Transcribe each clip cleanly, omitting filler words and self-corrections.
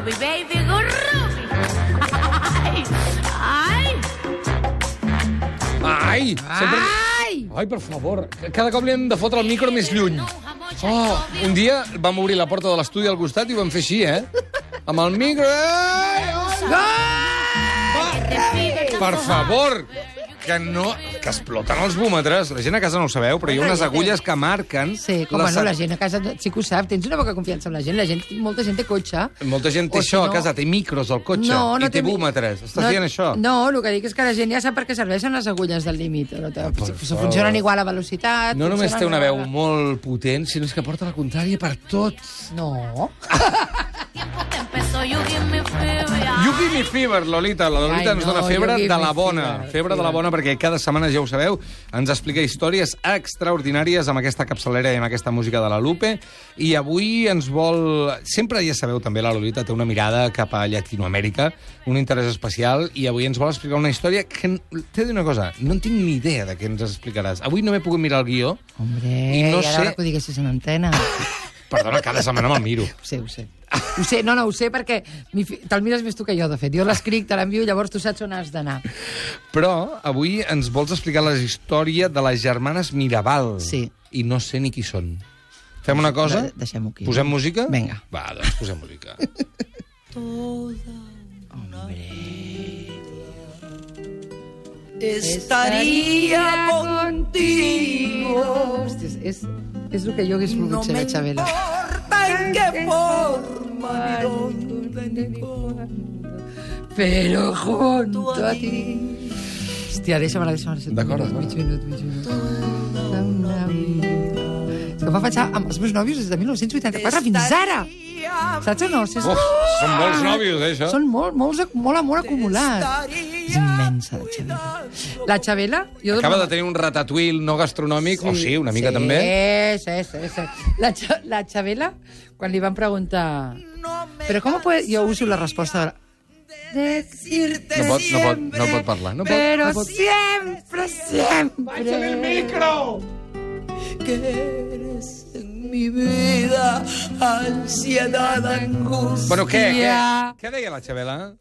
Ruby, baby, go Ruby. Ai! Ai! Sempre... Ai, per favor. Cada cop li hem de fotre el micro més lluny. Oh, un dia vam obrir la porta de l'estudi al costat i ho vam fer així, Amb el micro... Per favor! Que exploten els búmetres. La gent a casa no ho sabeu, però hi ha unes agulles que marquen... Sí, com no, la gent a casa sí que ho sap. Tens una poca confiança en la gent. Molta gent té cotxe. Molta gent té això a casa, té micros al cotxe i té búmetres. Estàs dient això? No, el que dic és que la gent ja sap per què serveixen les agulles del límit. Funcionen igual a velocitat... No només té una veu molt potent, sinó que porta la contrària per tot. No. You give me fever, Lolita. La Lolita ens dona febre de la bona. Febre de la bona, perquè cada setmana, ja ho sabeu, ens explica històries extraordinàries amb aquesta capçalera i amb aquesta música de la Lupe. I avui ens vol... Sempre, ja sabeu, també la Lolita té una mirada cap a Llatinoamèrica, un interès especial, i avui ens vol explicar una història que... T'he de dir una cosa, no en tinc ni idea de què ens explicaràs. Avui no m'he pogut mirar el guió. Hombre, i no sé... ara que ho diguessis en antena. Perdona, cada setmana me'l miro. Ho sé. Ho sé perquè te'l mires més tu que jo, de fet. Jo l'escric, te l'envio, llavors tu saps on has d'anar. Però avui ens vols explicar la història de les germanes Mirabal. Sí. I no sé ni qui són. Fem una cosa? Deixem-ho aquí. Posem música? Vinga. Va, doncs posem música. Estaria contigo. Hòstia, és el que jo hagués volgut ser, la Xabela. En qué forma, ni dónde, ni cuándo. Pero junto a ti. Hòstia, deixa'm-la. D'acord. Mig minut. Una vida. És que em va pensar amb els meus nòvios des de 1984 fins ara. Saps o no? Són molts nòvios, això. Són molt amor acumulat. És immensa, la Xabela. La Xabela... Acaba de tenir un ratatouille no gastronòmic, o sí, una mica també. Sí. La Xabela, quan li van preguntar... Però com puede... Jo uso la resposta... Decirte No pot parlar. Pero siempre. Báixale el micro! Que eres en mi vida ansiedad, angustia. Bueno, què deia la Xabela?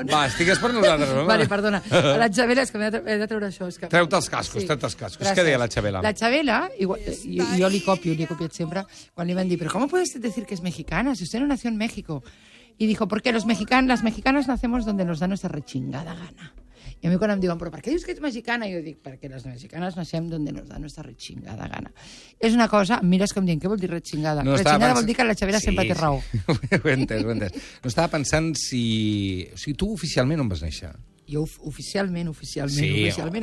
Va, estigues per nosaltres. Vale, perdona. La Xabela, és que he de treure això. Treu-te els cascos. Gràcies. Què deia la Xabela? La Xabela, jo li he copiat sempre, quan li van dir, pero ¿cómo puedes decir que es mexicana si usted no nació en México? Y dijo, porque las mexicanas nacemos donde nos da nuestra rechingada gana. I a mi quan em diuen, però per què dius que ets mexicana? Jo dic, perquè les mexicanes naixem donde nos da nuestra rechingada gana. És una cosa, mires com dient, què vol dir rechingada? No, rechingada vol dir que la Xabela sempre té raó. Ho he entès. No estava pensant si... O sigui, tu oficialment on vas néixer? Jo oficialment.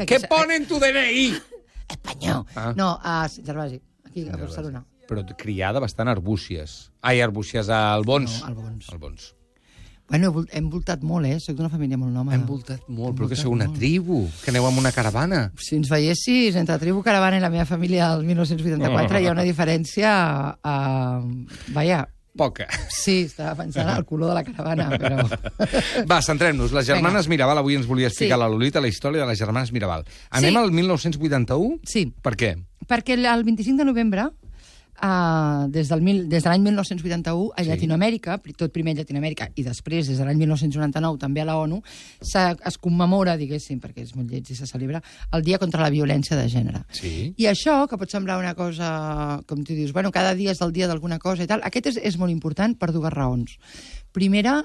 Què pone en tu DNI? Espanyol. No, a Gervasi, aquí, a Barcelona. Però criada bastant a Arbúcies. Ai, Arbúcies, a Albons. No, Albons. Bueno, hem voltat molt, Soc d'una família molt nòmada. Hem voltat molt, però que sou una tribu, que aneu amb una caravana. Si ens veiessis, entre tribu, caravana i la meva família del 1984 hi ha una diferència... Vaja... Poca. Sí, estava pensant al color de la caravana, però... Va, centrem-nos. Les germanes Mirabal, avui ens volia explicar la Lolita la història de les germanes Mirabal. Anem al 1981? Sí. Per què? Perquè el 25 de novembre... des de l'any 1981 a Llatinoamèrica, tot primer a Llatinoamèrica i després, des de l'any 1999, també a la ONU, es commemora, diguéssim, perquè és molt lleig i se celebra, el Dia contra la Violència de Gènere. Sí. I això, que pot semblar una cosa, com tu dius, bueno, cada dia és el dia d'alguna cosa i tal, aquest és molt important per dues raons. Primera,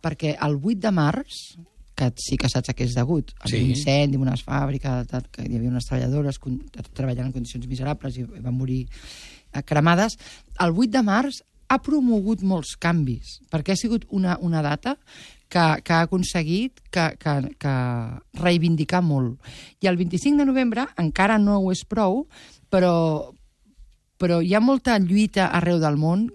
perquè el 8 de març, que sí que saps a què és degut, a un incendi en unes fàbriques, que hi havia unes treballadores treballant en condicions miserables i van morir cremades, el 8 de març ha promogut molts canvis, perquè ha sigut una data que ha aconseguit que reivindicar molt. I el 25 de novembre encara no ho és prou, però hi ha molta lluita arreu del món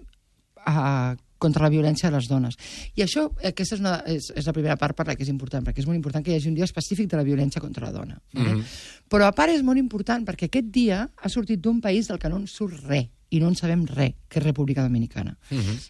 contra la violència de les dones. I això, aquesta és la primera part per la que és important, perquè és molt important que hi hagi un dia específic de la violència contra la dona. Però a part és molt important perquè aquest dia ha sortit d'un país del que no en surt res, i no en sabem res, que és República Dominicana.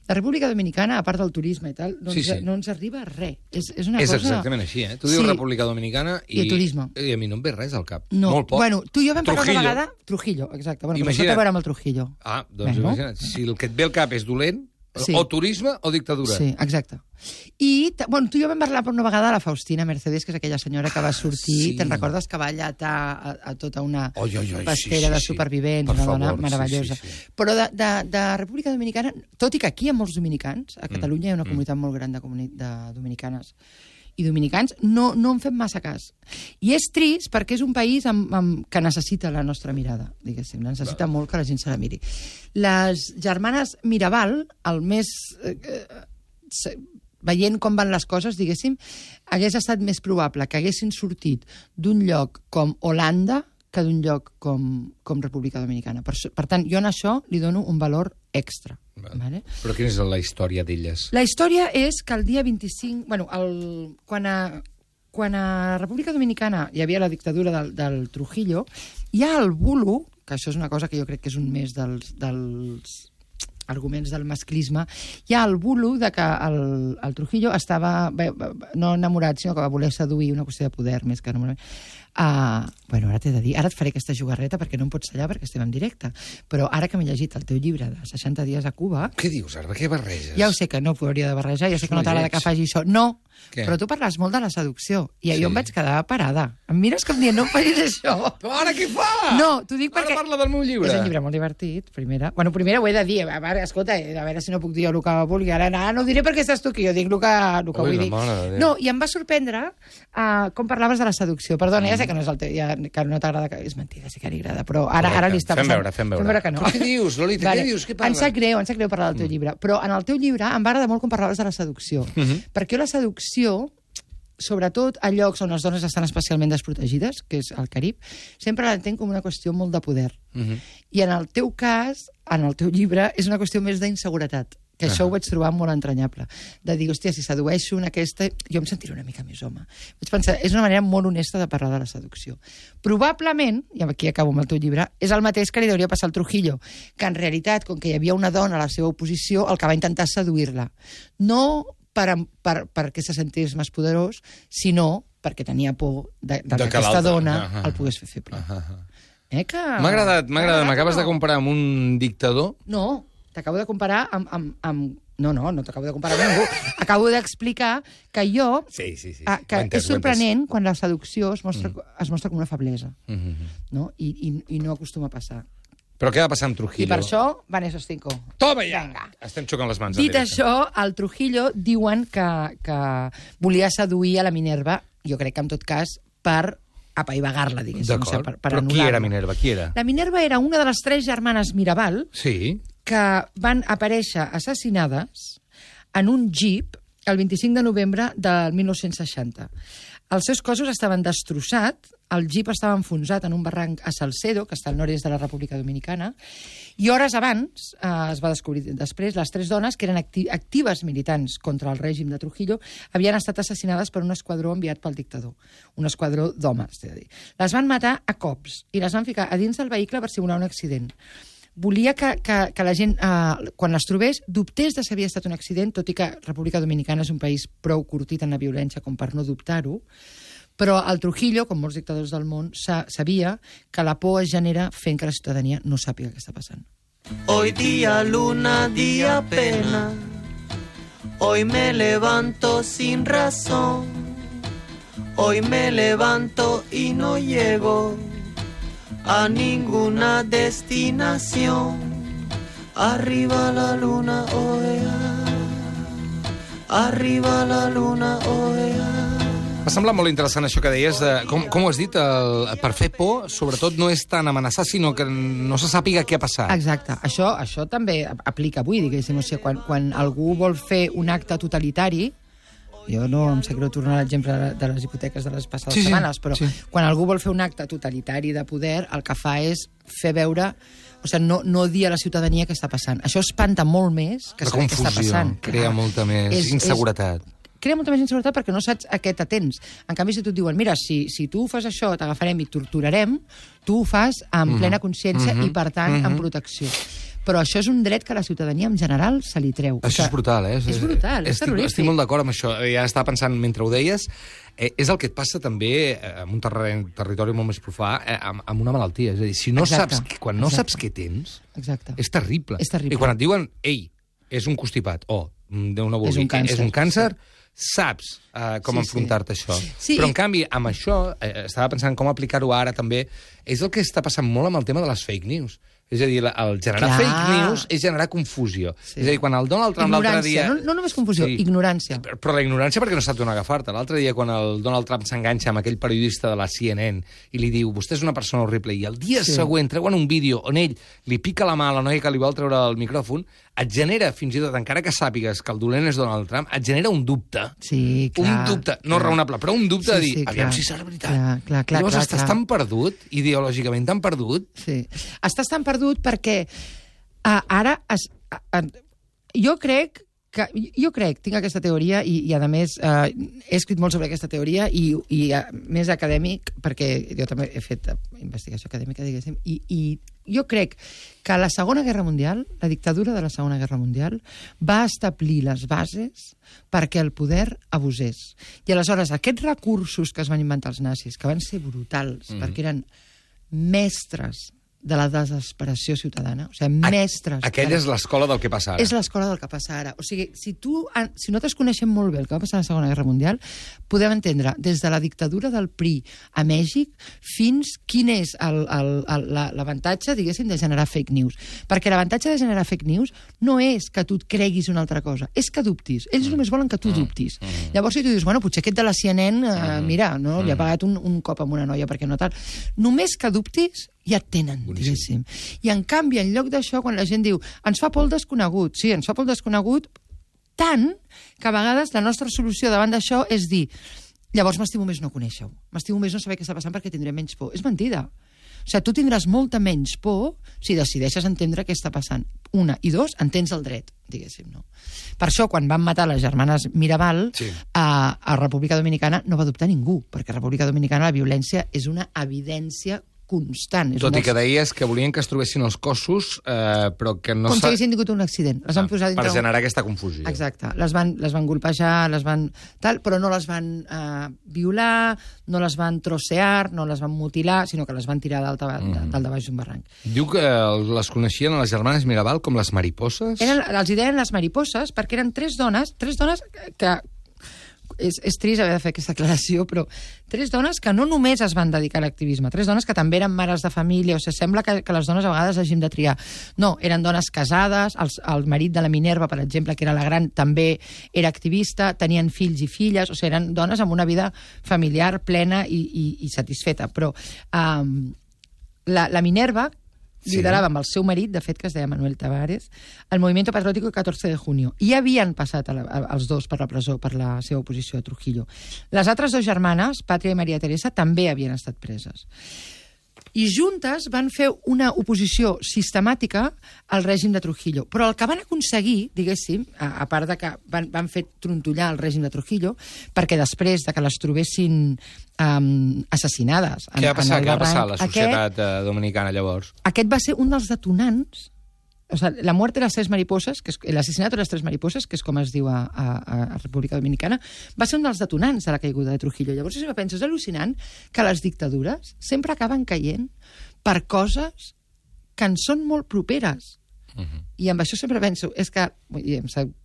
La República Dominicana, a part del turisme i tal, no ens arriba a res. És una cosa... És exactament així, Tu dius República Dominicana i turisme. I a mi no em ve res al cap. No. Molt poc. Bueno, tu i jo vam parlar una vegada... Trujillo, exacte. Bueno, però això té a veure amb el Trujillo. Doncs imagina't, si el que et ve al cap és dolent... Sí. O turisme o dictadura. Sí, exacte. I, bueno, tu i jo vam parlar per una vegada de la Faustina Mercedes, que és aquella senyora que va sortir, Sí. te'n recordes que va allatar a tota una pastera sí, de sí. supervivents, Per una dona favor, meravellosa. sí, sí. Però de República Dominicana, tot i que aquí hi ha molts dominicans, a Catalunya hi ha una comunitat molt gran de dominicanes i dominicans, no en fem massa cas. I és trist perquè és un país que necessita la nostra mirada, diguéssim. Necessita molt que la gent se la miri. Les germanes Mirabal, el més... veient com van les coses, diguéssim, hagués estat més probable que haguessin sortit d'un lloc com Holanda que d'un lloc com República Dominicana. Per tant, jo en això li dono un valor extra. Vale? Però quina és la història d'elles? La història és que el dia 25... Bueno, quan a República Dominicana hi havia la dictadura del Trujillo, hi ha el bulo, que això és una cosa que jo crec que és un més dels arguments del masclisme, hi ha el bulo de que el Trujillo estava no enamorat, sinó que va voler seduir, una qüestió de poder més que enamorat. Bueno, ara t'he de dir, ara et faré aquesta jugarreta perquè no em pots tallar perquè estem en directe, però ara que m'he llegit el teu llibre de 60 dies a Cuba... Què dius, Arba? Què barreges? Ja ho sé que no ho hauria de barrejar, jo sé que no t'agrada que faci això. No, què? però tu parles molt de la seducció i Sí. jo em vaig quedar parada. Em mires com dient, no em facis això. Però ara què fa? No, t'ho dic perquè... Ara parla del meu llibre. És un llibre molt divertit, primera. Bueno, primera ho he de dir, a veure, escolta, a veure si no puc dir jo el que vulgui. Ara no ho diré perquè estàs tu aquí, jo dic el que vull dir. No, i em va sorprendre com parlaves de la seducció. Perdona, ja sé que no és el teu, que no t'agrada, és mentida, sí que li agrada, però ara li està passant. Fem veure que no. Però què dius, Lolita, Vale. què dius? Què parles? Em sap greu parlar del teu llibre, però en el teu llibre em va agradar molt com parlaves de la seducció. Perquè la seducció, sobretot a llocs on les dones estan especialment desprotegides, que és el Carib, sempre l'entenc com una qüestió molt de poder. I en el teu cas, en el teu llibre, és una qüestió més d'inseguretat, que això ho vaig trobar molt entranyable. De dir, hòstia, si sedueixo en aquesta... Jo em sentiré una mica més home. Vaig pensar, és una manera molt honesta de parlar de la seducció. Probablement, i aquí acabo amb el teu llibre, és el mateix que li hauria passar al Trujillo, que en realitat, com que hi havia una dona a la seva oposició, el que va intentar seduir-la. No perquè se sentís més poderós, sinó perquè tenia por de que aquesta dona el pogués fer feble. M'ha agradat. M'acabes de comparar amb un dictador? No, t'acabo de comparar amb... No t'acabo de comparar amb ningú. Acabo d'explicar que jo... Sí. Que és sorprenent quan la seducció es mostra com una feblesa. No? I no acostuma a passar. Però què va passar amb Trujillo? I per això, Vanessa Stinko. Toma ja! Estem xocant les mans. Dit això, el Trujillo diuen que volia seduir a la Minerva, jo crec que en tot cas, per apaivagar-la, diguéssim. D'acord, per però qui era Minerva? Qui era? La Minerva era una de les 3 germanes Mirabal que van aparèixer assassinades en un jeep el 25 de novembre del 1960. Els seus cossos estaven destrossats, el jeep estava enfonsat en un barranc a Salcedo, que està al nord-est de la República Dominicana, i hores abans, es va descobrir després, les 3 dones, que eren actives militants contra el règim de Trujillo, havien estat assassinades per un esquadró enviat pel dictador. Un esquadró d'homes, t'he de dir. Les van matar a cops i les van ficar a dins del vehicle per simular un accident. Volia que la gent, quan les trobés, dubtés de si havia estat un accident, tot i que República Dominicana és un país prou curtit en la violència com per no dubtar-ho, però el Trujillo, com molts dictadors del món, sabia que la por es genera fent que la ciutadania no sàpiga què està passant. Hoy día luna, día pena. Hoy me levanto sin razón. Hoy me levanto y no llego a ninguna destinación. Arriba la luna, oea. Arriba la luna, oea. M'ha semblat molt interessant això que deies, com ho has dit, per fer por, sobretot no és tant amenaçar, sinó que no se sàpiga què ha passat. Exacte. Això també aplica avui, diguéssim. O sigui, quan algú vol fer un acte totalitari, jo no em sap greu tornar a l'exemple de les hipoteques de les passades setmanes, però quan algú vol fer un acte totalitari de poder, el que fa és fer veure... O sigui, no dir a la ciutadania què està passant. Això espanta molt més que saber què està passant. Crea molta més inseguretat. Crea molta més inseguretat perquè no saps a què t'atens. En canvi, si tu et diuen, mira, si tu fas això, t'agafarem i torturarem, tu ho fas amb plena consciència i, per tant, amb protecció. Però això és un dret que la ciutadania en general se li treu. Això és brutal, eh? És brutal, és terrorífic. Estic molt d'acord amb això. Ja estava pensant, mentre ho deies, és el que et passa també en un territori molt més profà, amb una malaltia. És a dir, si no saps, quan no saps què tens, és terrible. És terrible. I quan et diuen, ei, és un constipat, o Déu no vulgui, És un càncer. saps com Sí, enfrontar-te a això. Sí. Però, en canvi, amb això, estava pensant com aplicar-ho ara també, és el que està passant molt amb el tema de les fake news. És a dir, el generar Clar. fake news és generar confusió. Sí. És a dir, quan el Donald Trump l'altre dia... No només confusió, ignorància. Però la ignorància perquè no sap d'on agafar-te. L'altre dia, quan el Donald Trump s'enganxa amb aquell periodista de la CNN i li diu, vostè és una persona horrible, i el dia següent treuen un vídeo on ell li pica la mà a la noia que li vol treure el micròfon, et genera, fins i tot, encara que sàpigues que el dolent és Donald Trump, et genera un dubte. Sí, clar. Un dubte, no raonable, però un dubte de dir, aviam si serà veritat. Clar, llavors estàs tan perdut, ideològicament tan perdut. Sí. Estàs tan perdut perquè ara... Jo crec, tinc aquesta teoria i a més, he escrit molt sobre aquesta teoria i més acadèmic, perquè jo també he fet investigació acadèmica, diguéssim, i jo crec que la Segona Guerra Mundial, la dictadura de la Segona Guerra Mundial, va establir les bases perquè el poder abusés. I aleshores, aquests recursos que es van inventar els nazis, que van ser brutals, perquè eren mestres de la desesperació ciutadana, o sigui, mestres... Aquella és l'escola del que passa ara. És l'escola del que passa ara. O sigui, si nosaltres coneixem molt bé el que va passar a la Segona Guerra Mundial, podem entendre des de la dictadura del PRI a Mèxic fins quin és l'avantatge, diguéssim, de generar fake news. Perquè l'avantatge de generar fake news no és que tu et creguis una altra cosa, és que dubtis. Ells només volen que tu dubtis. Llavors, si tu dius, bueno, potser aquest de la CNN, mira, no, li ha pagat un cop amb una noia perquè no tal. Només que dubtis, ja et tenen, diguéssim. I, en canvi, en lloc d'això, quan la gent diu ens fa por el desconegut, sí, ens fa por el desconegut, tant que a vegades la nostra solució davant d'això és dir llavors m'estimo més no conèixer-ho, m'estimo més no saber què està passant perquè tindré menys por. És mentida. O sigui, tu tindràs molta menys por si decideixes entendre què està passant. Una. I dos, entens el dret, diguéssim, no? Per això, quan van matar les germanes Mirabal, a República Dominicana no va dubtar ningú, perquè a República Dominicana la violència és una evidència constant. Tot i que deies que volien que es trobessin els cossos, però que no... Com si haguessin tingut un accident. Les van posar dintre... Per generar aquesta confusió. Exacte. Les van golpejar, però no les van violar, no les van trossear, no les van mutilar, sinó que les van tirar dalt de baix d'un barranc. Diu que les coneixien a les germanes Mirabal com les mariposes? Els hi deien les mariposes perquè eren tres dones que... És trist haver de fer aquesta aclaració, però tres dones que no només es van dedicar a l'activisme, tres dones que també eren mares de família, o sigui, sembla que les dones a vegades hagin de triar. No, eren dones casades, el marit de la Minerva, per exemple, que era la gran, també era activista, tenien fills i filles, o sigui, eren dones amb una vida familiar plena i satisfeta. Però la Minerva liderava amb el seu marit, de fet, que es deia Manuel Tavares, el Movimiento Patriótico 14 de Junio. I havien passat els dos per la presó per la seva oposició a Trujillo. Les altres dues germanes, Pàtria i Maria Teresa, també havien estat preses. I juntes van fer una oposició sistemàtica al règim de Trujillo. Però el que van aconseguir, diguéssim, a part de que van fer trontollar el règim de Trujillo, perquè després de que les trobessin assassinades... Què va passar a la societat dominicana, llavors? Aquest va ser un dels detonants. O sigui, la muerte de las tres mariposas, l'assassinato de les tres mariposas, que és com es diu a República Dominicana, va ser un dels detonants de la caiguda de Trujillo. Llavors, si penso, és al·lucinant que les dictadures sempre acaben caient per coses que en són molt properes. I amb això sempre penso, és que...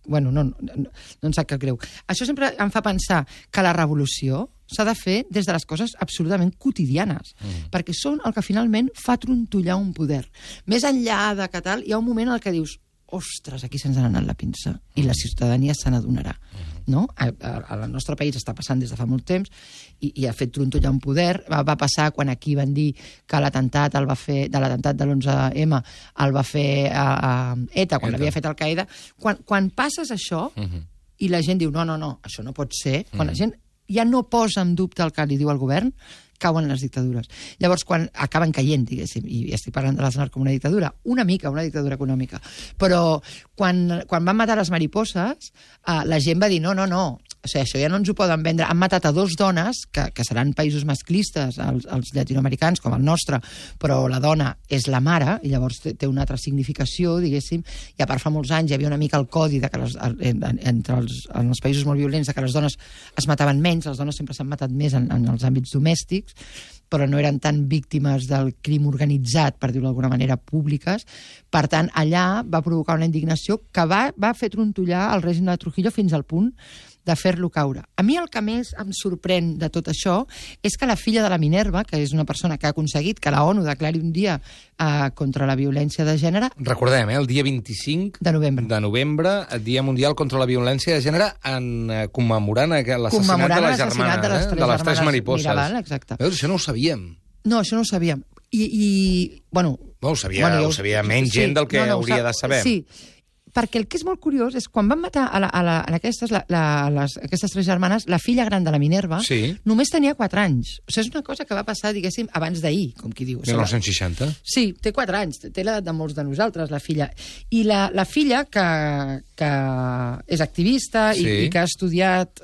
Bueno, no em sap cap greu. Això sempre em fa pensar que la revolució s'ha de fer des de les coses absolutament quotidianes, perquè són el que finalment fa trontollar un poder. Més enllà de que tal, hi ha un moment en el que dius ostres, aquí se'ns ha anat la pinça, i la ciutadania se n'adonarà. No? Al nostre país està passant des de fa molt temps i ha fet trontollar un poder. Va passar quan aquí van dir que l'atemptat de l'11M el va fer ETA, quan l'havia fet Al-Qaeda. Quan passes això i la gent diu no, això no pot ser, quan la gent ja no posa en dubte el que li diu el govern, cauen les dictadures. Llavors, quan acaben caient, diguéssim, i estic parlant de l'Aznar com una dictadura, una mica, una dictadura econòmica, però quan van matar les mariposes, la gent va dir no, O sigui, això ja no ens ho poden vendre. Han matat a 2 dones, que seran països masclistes, els llatinoamericans, com el nostre, però la dona és la mare, i llavors té una altra significació, diguéssim, i a part fa molts anys hi havia una mica el codi de que en els països molt violents de que les dones es mataven menys, les dones sempre s'han matat més en els àmbits domèstics, però no eren tan víctimes del crim organitzat, per dir-ho d'alguna manera, públiques. Per tant, allà va provocar una indignació que va fer trontollar el règim de Trujillo fins al punt de fer-lo caure. A mi el que més em sorprèn de tot això és que la filla de la Minerva, que és una persona que ha aconseguit que la ONU declari un dia contra la violència de gènere... Recordem, el dia 25 de novembre, el Dia Mundial contra la Violència de Gènere, commemorant l'assassinat de les germanes, de les tres mariposes. Mirabal, exacte. Veus, això no ho sabíem. No, això no ho sabíem. Bueno, ho sabia menys gent del que hauria de saber. Sí, perquè el que és molt curiós és quan van matar aquestes 3 germanes, la filla gran de la Minerva només tenia 4 anys. O sigui, és una cosa que va passar, diguéssim, abans d'ahir, com qui diu. 1960? Sí, té 4 anys, té l'edat de molts de nosaltres, la filla. I la filla, que és activista i que ha estudiat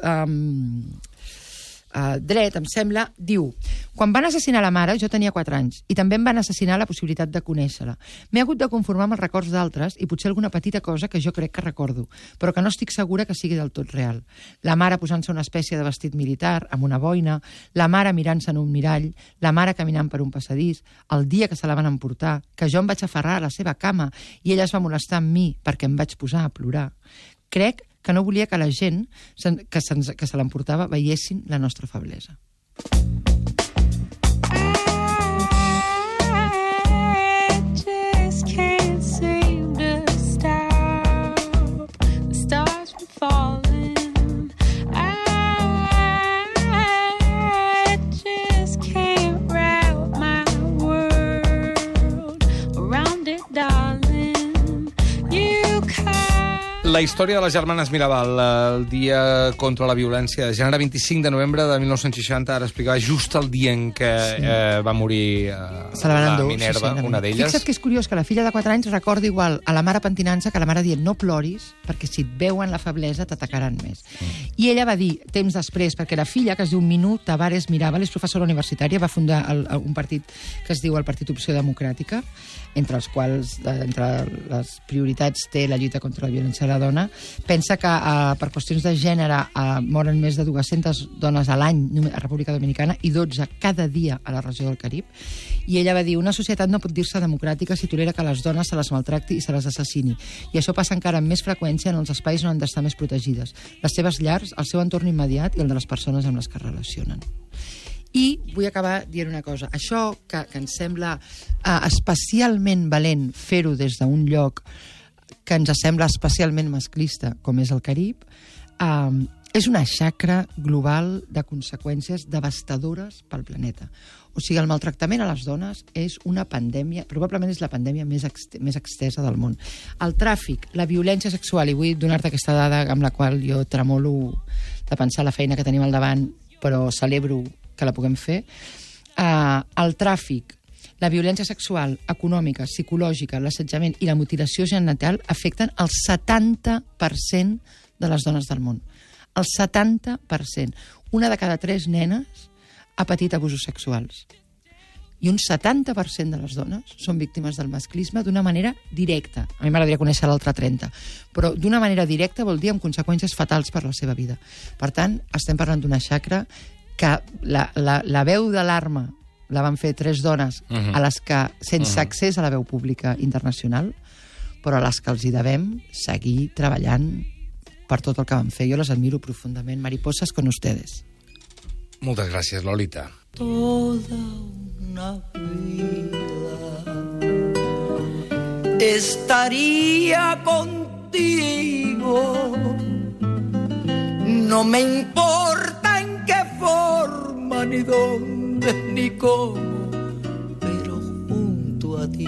dret, em sembla, diu: quan van assassinar la mare jo tenia 4 anys i també em van assassinar la possibilitat de conèixer-la. M'he hagut de conformar amb els records d'altres i potser alguna petita cosa que jo crec que recordo, però que no estic segura que sigui del tot real. La mare posant-se una espècie de vestit militar amb una boina, la mare mirant-se en un mirall, la mare caminant per un passadís, el dia que se la van emportar, que jo em vaig aferrar a la seva cama i ella es va molestar amb mi perquè em vaig posar a plorar. Crec que no volia que la gent que se l'emportava veiessin la nostra feblesa. La història de les germanes Mirabal, el dia contra la violència de gènere, 25 de novembre de 1960, ara explicava just el dia en què va morir la Minerva, una d'elles. Fixa't que és curiós que la filla de 4 anys recorda igual a la mare pentinant-se que la mare dient no ploris, perquè si et veuen la feblesa t'atacaran més. I ella va dir, temps després, perquè la filla, que es diu Minú Tavares Mirabal, és professora universitària, va fundar un partit que es diu el Partit Opció Democràtica, entre els quals, entre les prioritats, té la lluita contra la violència de la dona. Pensa que per qüestions de gènere moren més de 200 dones a l'any a República Dominicana i 12 cada dia a la regió del Carib. I ella va dir, una societat no pot dir-se democràtica si tolera que les dones se les maltracti i se les assassini. I això passa encara amb més freqüència en els espais on han d'estar més protegides. Les seves llars, el seu entorn immediat i el de les persones amb les que es relacionen. I vull acabar dient una cosa. Això que ens sembla especialment valent fer-ho des d'un lloc que ens sembla especialment masclista, com és el Carib, és una xacra global de conseqüències devastadores pel planeta. O sigui, el maltractament a les dones és una pandèmia, probablement és la pandèmia més extesa del món. El tràfic, la violència sexual, i vull donar-te aquesta dada amb la qual jo tremolo de pensar la feina que tenim al davant, però celebro que la puguem fer. El tràfic, la violència sexual, econòmica, psicològica, l'assetjament i la mutilació genital afecten el 70% de les dones del món. El 70%. Una de cada 3 nenes ha patit abusos sexuals. I un 70% de les dones són víctimes del masclisme d'una manera directa. A mi m'agradaria conèixer l'altre 30%, però d'una manera directa vol dir amb conseqüències fatals per la seva vida. Per tant, estem parlant d'una xacra que la veu d'alarma la van fer 3 dones a les que, sense accés a la veu pública internacional, però a les que els hi devem seguir treballant per tot el que van fer. Jo les admiro profundament. Mariposas con ustedes. Moltes gràcies, Lolita. Toda una vida estaría contigo. No me importa en qué forma, ni dónde, ni cómo, pero junto a ti